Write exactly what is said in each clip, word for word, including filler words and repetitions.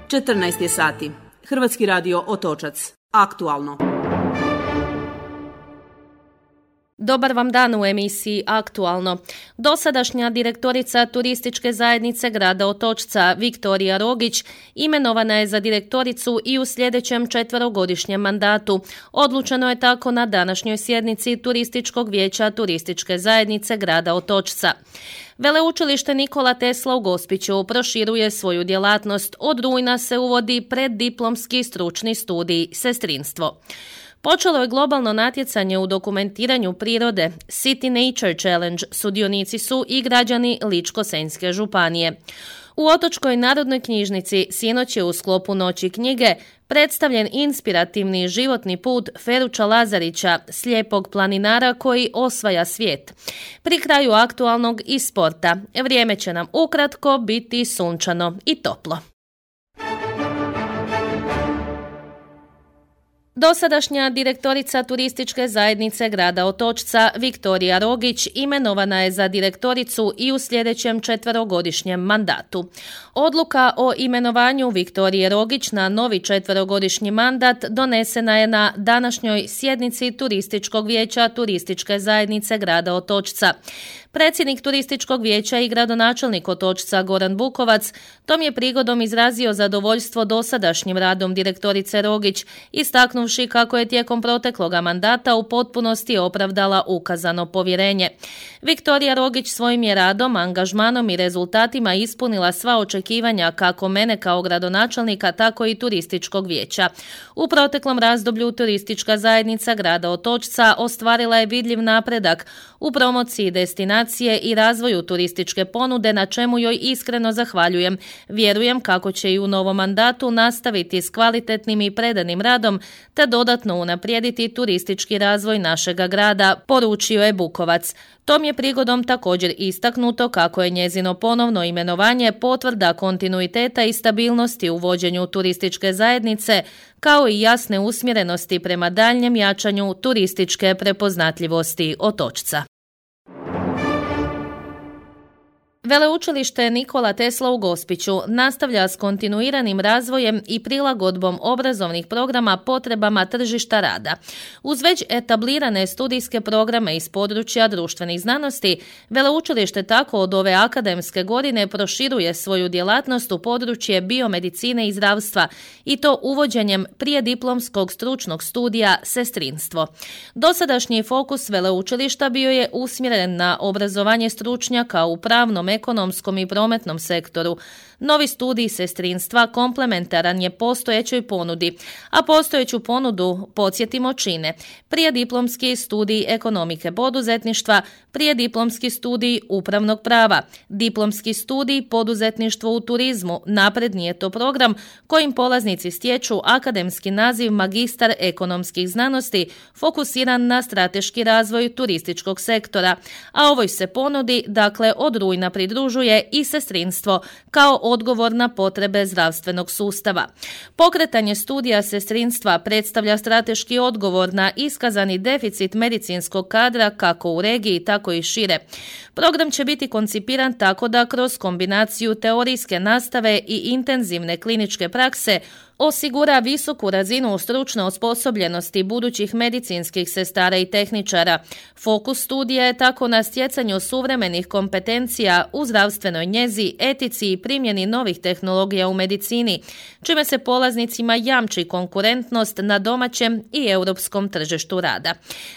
četrnaest je sati. Hrvatski radio Otočac. Aktualno. Dobar vam dan u emisiji Aktualno. Dosadašnja direktorica Turističke zajednice grada Otočca Viktorija Rogić imenovana je za direktoricu i u sljedećem četverogodišnjem mandatu. Odlučeno je tako na današnjoj sjednici Turističkog vijeća Turističke zajednice grada Otočca. Veleučilište Nikola Tesla u Gospiću proširuje svoju djelatnost. Od rujna se uvodi preddiplomski stručni studij sestrinstvo. Počelo je globalno natjecanje u dokumentiranju prirode. City Nature Challenge sudionici su i građani Ličko-senjske županije. U Otočkoj narodnoj knjižnici sinoć je u sklopu Noći knjige predstavljen inspirativni životni put Feruča Lazarića, slijepog planinara koji osvaja svijet. Pri kraju aktualnog i sporta vrijeme će nam ukratko biti sunčano i toplo. Dosadašnja direktorica Turističke zajednice grada Otočca Viktorija Rogić imenovana je za direktoricu i u sljedećem četverogodišnjem mandatu. Odluka o imenovanju Viktorije Rogić na novi četverogodišnji mandat donesena je na današnjoj sjednici Turističkog vijeća Turističke zajednice grada Otočca. Predsjednik Turističkog vijeća i gradonačelnik Otočca Goran Bukovac tom je prigodom izrazio zadovoljstvo dosadašnjim radom direktorice Rogić, istaknuvši kako je tijekom protekloga mandata u potpunosti opravdala ukazano povjerenje. Viktorija Rogić svojim je radom, angažmanom i rezultatima ispunila sva očekivanja kako mene kao gradonačelnika, tako i Turističkog vijeća. U proteklom razdoblju Turistička zajednica grada Otočca ostvarila je vidljiv napredak u promociji destinacije i razvoju turističke ponude, na čemu joj iskreno zahvaljujem. Vjerujem kako će i u novom mandatu nastaviti s kvalitetnim i predanim radom te dodatno unaprijediti turistički razvoj našega grada, poručio je Bukovac. Tom je prigodom također istaknuto kako je njezino ponovno imenovanje potvrda kontinuiteta i stabilnosti u vođenju turističke zajednice, kao i jasne usmjerenosti prema daljnjem jačanju turističke prepoznatljivosti Otočca. Veleučilište Nikola Tesla u Gospiću nastavlja s kontinuiranim razvojem i prilagodbom obrazovnih programa potrebama tržišta rada. Uz već etablirane studijske programe iz područja društvenih znanosti, veleučilište tako od ove akademske godine proširuje svoju djelatnost u područje biomedicine i zdravstva, i to uvođenjem prijediplomskog stručnog studija sestrinstvo. Dosadašnji fokus veleučilišta bio je usmjeren na obrazovanje stručnjaka u pravnom, ekonomskom i prometnom sektoru. Novi studij sestrinstva komplementaran je postojećoj ponudi, a postojeću ponudu, podsjetimo, čine prijediplomski studij ekonomike poduzetništva, prijediplomski studij upravnog prava, diplomski studij poduzetništvo u turizmu. Napredni je to program kojim polaznici stječu akademski naziv magistar ekonomskih znanosti fokusiran na strateški razvoj turističkog sektora, a ovoj se ponudi, dakle, od rujna pridružuje i sestrinstvo kao odgovor na potrebe zdravstvenog sustava. Pokretanje studija sestrinstva predstavlja strateški odgovor na iskazani deficit medicinskog kadra kako u regiji, tako i šire. Program će biti koncipiran tako da kroz kombinaciju teorijske nastave i intenzivne kliničke prakse osigura visoku razinu stručne osposobljenosti budućih medicinskih sestara i tehničara. Fokus studija je tako na stjecanju suvremenih kompetencija u zdravstvenoj njezi, etici i primjeni novih tehnologija u medicini, čime se polaznicima jamči konkurentnost na domaćem i europskom tržištu rada.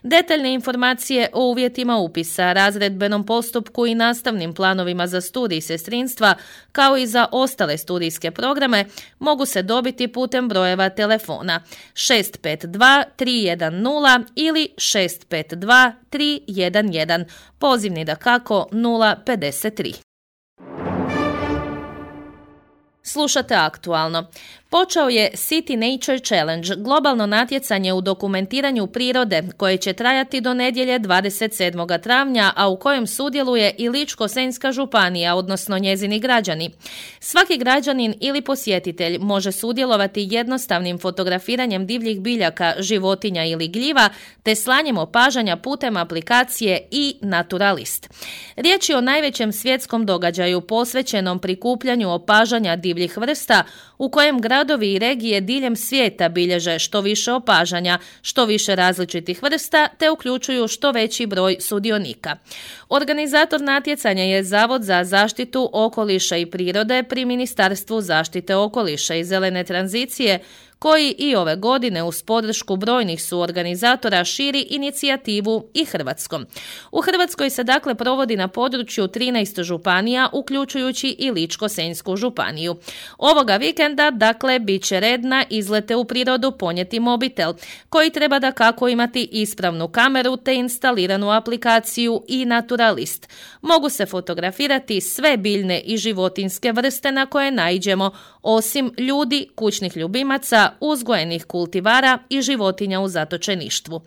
Detaljne informacije o uvjetima upisa, razredbenom postupku i nastavnim planovima za studij sestrinstva, kao i za ostale studijske programe, mogu se dobiti putem brojeva telefona šest pet dva tri jedan nula ili šest pet dva tri jedan jedan, pozivni dakako nula pedeset tri. Slušate Aktualno. Počeo je City Nature Challenge, globalno natjecanje u dokumentiranju prirode koje će trajati do nedjelje dvadeset sedmog travnja, a u kojem sudjeluje i Ličko-senjska županija, odnosno njezini građani. Svaki građanin ili posjetitelj može sudjelovati jednostavnim fotografiranjem divljih biljaka, životinja ili gljiva, te slanjem opažanja putem aplikacije i Naturalist. Riječ je o najvećem svjetskom događaju posvećenom prikupljanju opažanja divljih divljih vrsta u kojem gradovi i regije diljem svijeta bilježe što više opažanja, što više različitih vrsta te uključuju što veći broj sudionika. Organizator natjecanja je Zavod za zaštitu okoliša i prirode pri Ministarstvu zaštite okoliša i zelene tranzicije, koji i ove godine uz podršku brojnih suorganizatora širi inicijativu i Hrvatskom. U Hrvatskoj se dakle provodi na području trinaest županija, uključujući i Ličko-senjsku županiju. Ovoga vikenda, dakle, bit će red na izlete u prirodu ponijeti mobitel, koji treba da kako imati ispravnu kameru te instaliranu aplikaciju i Naturalist. Mogu se fotografirati sve biljne i životinjske vrste na koje naiđemo, osim ljudi, kućnih ljubimaca, uzgojenih kultivara i životinja u zatočeništvu.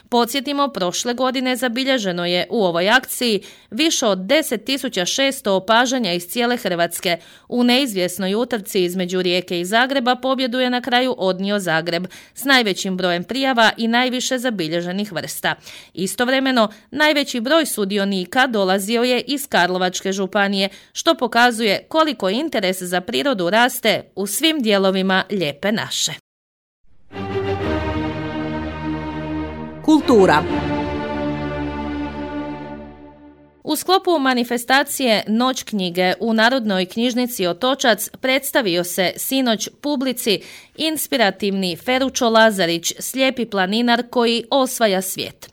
Podsjetimo, prošle godine zabilježeno je u ovoj akciji više od deset tisuća šesto opažanja iz cijele Hrvatske. U neizvjesnoj utrci između Rijeke i Zagreba pobjedu je na kraju odnio Zagreb s najvećim brojem prijava i najviše zabilježenih vrsta. Istovremeno, najveći broj sudionika dolazio je iz Karlovačke županije, što pokazuje koliko interes za prirodu raste u svim dijelovima lijepe naše. Kultura. U sklopu manifestacije Noć knjige u Narodnoj knjižnici Otočac predstavio se sinoć publici inspirativni Feručo Lazarić, slijepi planinar koji osvaja svijet.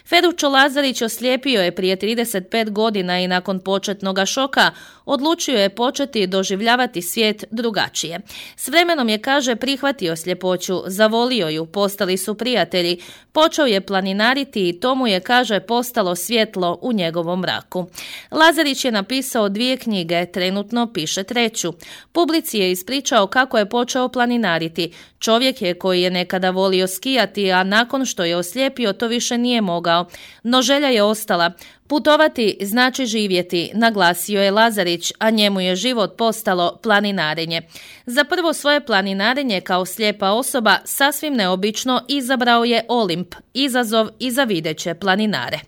Feručo Lazarić oslijepio je prije trideset pet godina i nakon početnoga šoka odlučio je početi doživljavati svijet drugačije. S vremenom je, kaže, prihvatio sljepoću, zavolio ju, postali su prijatelji, počeo je planinariti i to mu je, kaže, postalo svjetlo u njegovom mraku. Lazarić je napisao dvije knjige, trenutno piše treću. Publici je ispričao kako je počeo planinariti. Čovjek je koji je nekada volio skijati, a nakon što je oslijepio to više nije mogao. No želja je ostala. Putovati znači živjeti, naglasio je Lazarić, a njemu je život postalo planinarenje. Za prvo svoje planinarenje kao slijepa osoba sasvim neobično izabrao je Olimp, izazov i za videće planinare.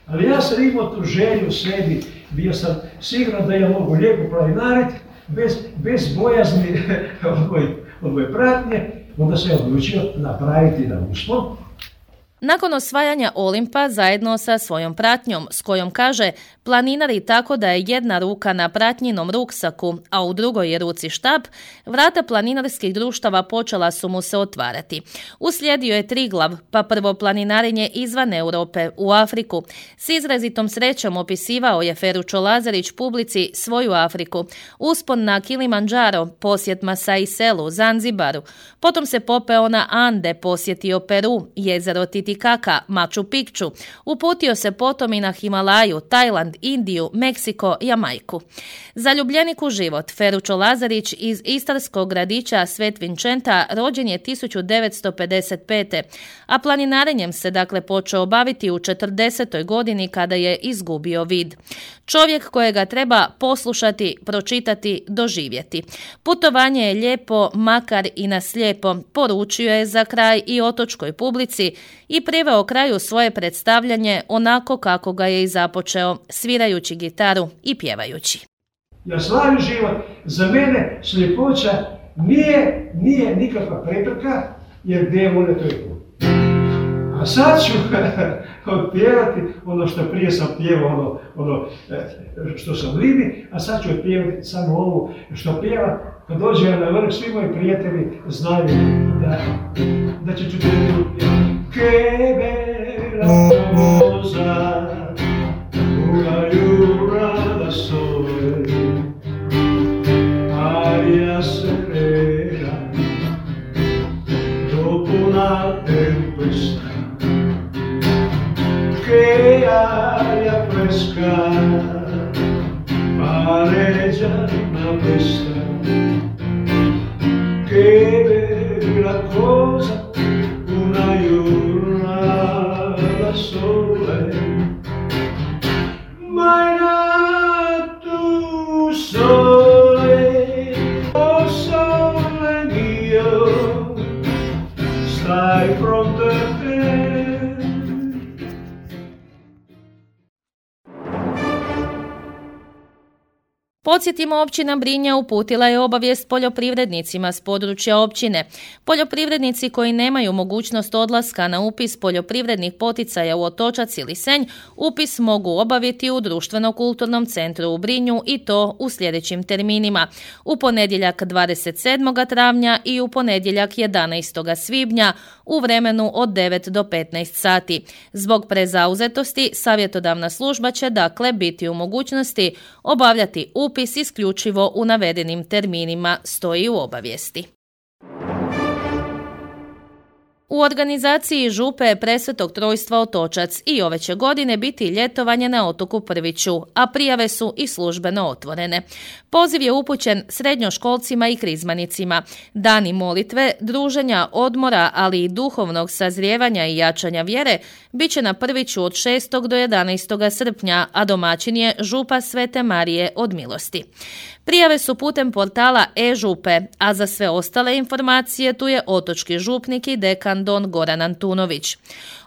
Ali ja sam imao tu želju u sebi, bio sam siguran da ja mogu lijepo planinariti, bez, bez bojazni od moje, od moje pratnje, onda sam odlučio napraviti da uspom. Nakon osvajanja Olimpa zajedno sa svojom pratnjom, s kojom, kaže, planinari tako da je jedna ruka na pratnjinom ruksaku, a u drugoj je ruci štap, vrata planinarskih društava počela su mu se otvarati. Uslijedio je Triglav, pa prvo planinarenje izvan Europe, u Afriku. S izrazitom srećom opisivao je Feručo Lazarić publici svoju Afriku. Uspon na Kilimandžaro, posjet Masai Selu, Zanzibaru. Potom se popeo na Ande, posjetio Peru, jezero Titikaka, Machu Picchu. Uputio se potom i na Himalaju, Tajland, Indiju, Meksiko, Jamajku. Zaljubljenik u život, Feručo Lazarić iz istarskog gradića Svet Vinčenta rođen je tisuću devetsto pedeset pete. a planinarenjem se dakle počeo baviti u četrdesetoj godini kada je izgubio vid. Čovjek kojega treba poslušati, pročitati, doživjeti. Putovanje je lijepo, makar i na slijepo, poručio je za kraj i otočkoj publici i priveo kraju svoje predstavljanje onako kako ga je i započeo, svirajući gitaru i pjevajući. Ja slavim život, za mene sljepoća nije, nije nikakva prepreka, jer gdje je volja to je put. A sad ću otpjevati ono što prije sam pjevao, ono, ono što sam lidi, a sad ću otpjevati samo ovo što pjeva. Kad dođe na vrh, svi moji prijatelji znaju da, da će čuti pjevati. Che bella cosa, una jura da sole, aria serena, dopo una tempesta, che aria fresca, pareggia una festa, che bella cosa, una jura da sole. Podsjetimo, općina Brinja uputila je obavijest poljoprivrednicima s područja općine. Poljoprivrednici koji nemaju mogućnost odlaska na upis poljoprivrednih poticaja u Otočac ili Senj, upis mogu obaviti u Društveno-kulturnom centru u Brinju i to u sljedećim terminima. U ponedjeljak dvadeset sedmog travnja i u ponedjeljak jedanaestog svibnja u vremenu od devet do petnaest sati. Zbog prezauzetosti, savjetodavna služba će dakle biti u mogućnosti obavljati upis isključivo u navedenim terminima, stoji u obavijesti. U organizaciji župe Presvetog Trojstva Otočac i ove će godine biti ljetovanje na otoku Prviću, a prijave su i službeno otvorene. Poziv je upućen srednjoškolcima i krizmanicima. Dani molitve, druženja, odmora, ali i duhovnog sazrijevanja i jačanja vjere bit će na Prviću od šestog do jedanaestog srpnja, a domaćin je župa Svete Marije od Milosti. Prijave su putem portala e-župe, a za sve ostale informacije tu je otočki župnik i dekan don Goran Antunović.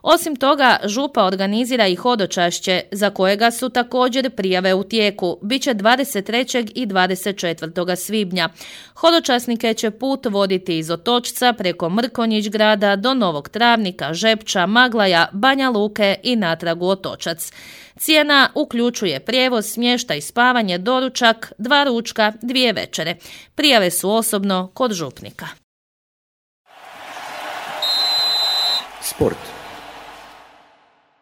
Osim toga, župa organizira i hodočašće, za kojega su također prijave u tijeku. Biće dvadeset trećeg i dvadeset četvrtog svibnja. Hodočasnike će put voditi iz Otočca preko Mrkonjić grada do Novog Travnika, Žepča, Maglaja, Banja Luke i natrag u Otočac. Cijena uključuje prijevoz, smještaj, spavanje, doručak, dva ručka, dvije večere. Prijave su osobno kod župnika. Sport.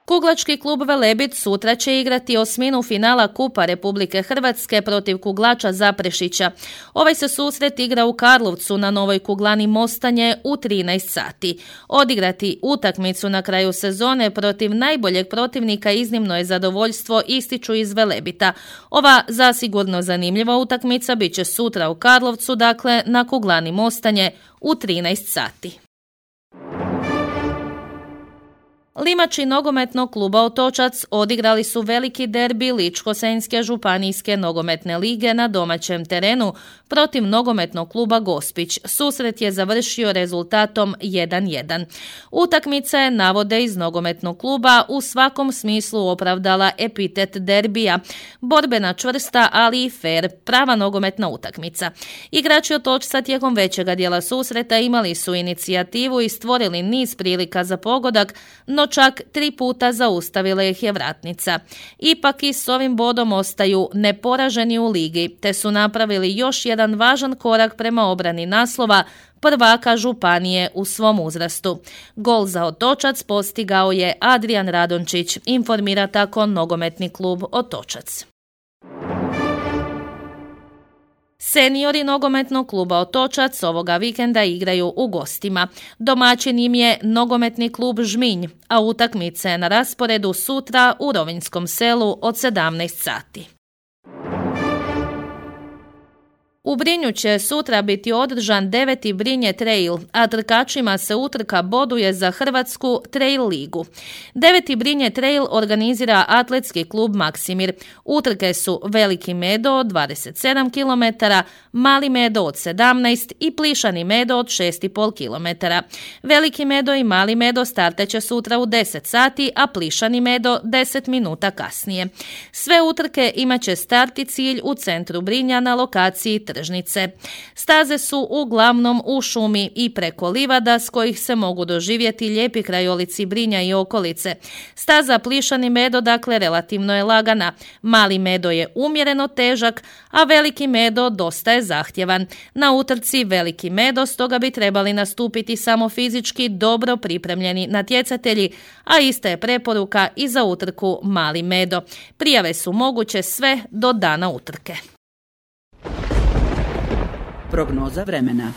Kuglački klub Velebit sutra će igrati osminu finala Kupa Republike Hrvatske protiv kuglača Zaprešića. Ovaj se susret igra u Karlovcu na Novoj kuglani Mostanje u trinaest sati. Odigrati utakmicu na kraju sezone protiv najboljeg protivnika iznimno je zadovoljstvo, ističu iz Velebita. Ova zasigurno zanimljiva utakmica bit će sutra u Karlovcu, dakle na kuglani Mostanje u trinaest sati. Limači nogometnog kluba Otočac odigrali su veliki derbi Ličko-senjske županijske nogometne lige na domaćem terenu protiv nogometnog kluba Gospić. Susret je završio rezultatom jedan jedan. Utakmica je, navode iz nogometnog kluba, u svakom smislu opravdala epitet derbija. Borbena, čvrsta, ali i fer, prava nogometna utakmica. Igrači Otočca tijekom većega dijela susreta imali su inicijativu i stvorili niz prilika za pogodak, no čak tri puta zaustavila ih je vratnica. Ipak i s ovim bodom ostaju neporaženi u ligi, te su napravili još jedan važan korak prema obrani naslova prvaka županije u svom uzrastu. Gol za Otočac postigao je Adrijan Radončić, informira tako nogometni klub Otočac. Seniori nogometnog kluba Otočac ovoga vikenda igraju u gostima. Domaćin im je nogometni klub Žminj, a utakmica je na rasporedu sutra u Rovinjskom Selu od sedamnaest sati. U Brinju će sutra biti održan deveti Brinje Trail, a trkačima se utrka boduje za Hrvatsku Trail ligu. deveti Brinje Trail organizira atletski klub Maksimir. Utrke su Veliki Medo od dvadeset sedam kilometara, Mali Medo od sedamnaest i Plišani Medo od šest i pol kilometara. Veliki Medo i Mali Medo startaće sutra u deset sati, a Plišani Medo deset minuta kasnije. Sve utrke imat će start i cilj u centru Brinja na lokaciji tržnice. Staze su uglavnom u šumi i preko livada s kojih se mogu doživjeti lijepi krajolici Brinja i okolice. Staza Plišani Medo dakle relativno je lagana, Mali Medo je umjereno težak, a Veliki Medo dosta je zahtjevan. Na utrci Veliki Medo stoga bi trebali nastupiti samo fizički dobro pripremljeni natjecatelji, a ista je preporuka i za utrku Mali Medo. Prijave su moguće sve do dana utrke. Prognoza vremena.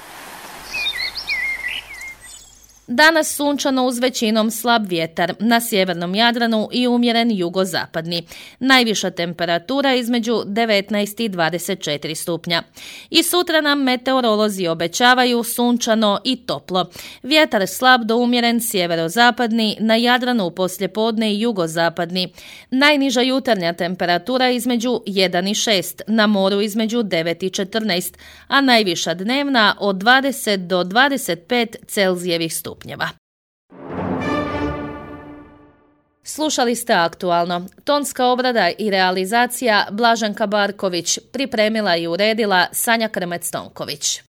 Danas sunčano uz većinom slab vjetar, na sjevernom Jadranu i umjeren jugozapadni. Najviša temperatura između devetnaest i dvadeset četiri stupnja. I sutra nam meteorolozi obećavaju sunčano i toplo. Vjetar slab do umjeren sjeverozapadni, na Jadranu poslijepodne i jugozapadni. Najniža jutarnja temperatura između jedan i šest, na moru između devet i četrnaest, a najviša dnevna od dvadeset do dvadeset pet Celzijevih stupnjeva. Slušali ste Aktualno. Tonska obrada i realizacija Blaženka Barković, pripremila i uredila Sanja Krmec-Tonković.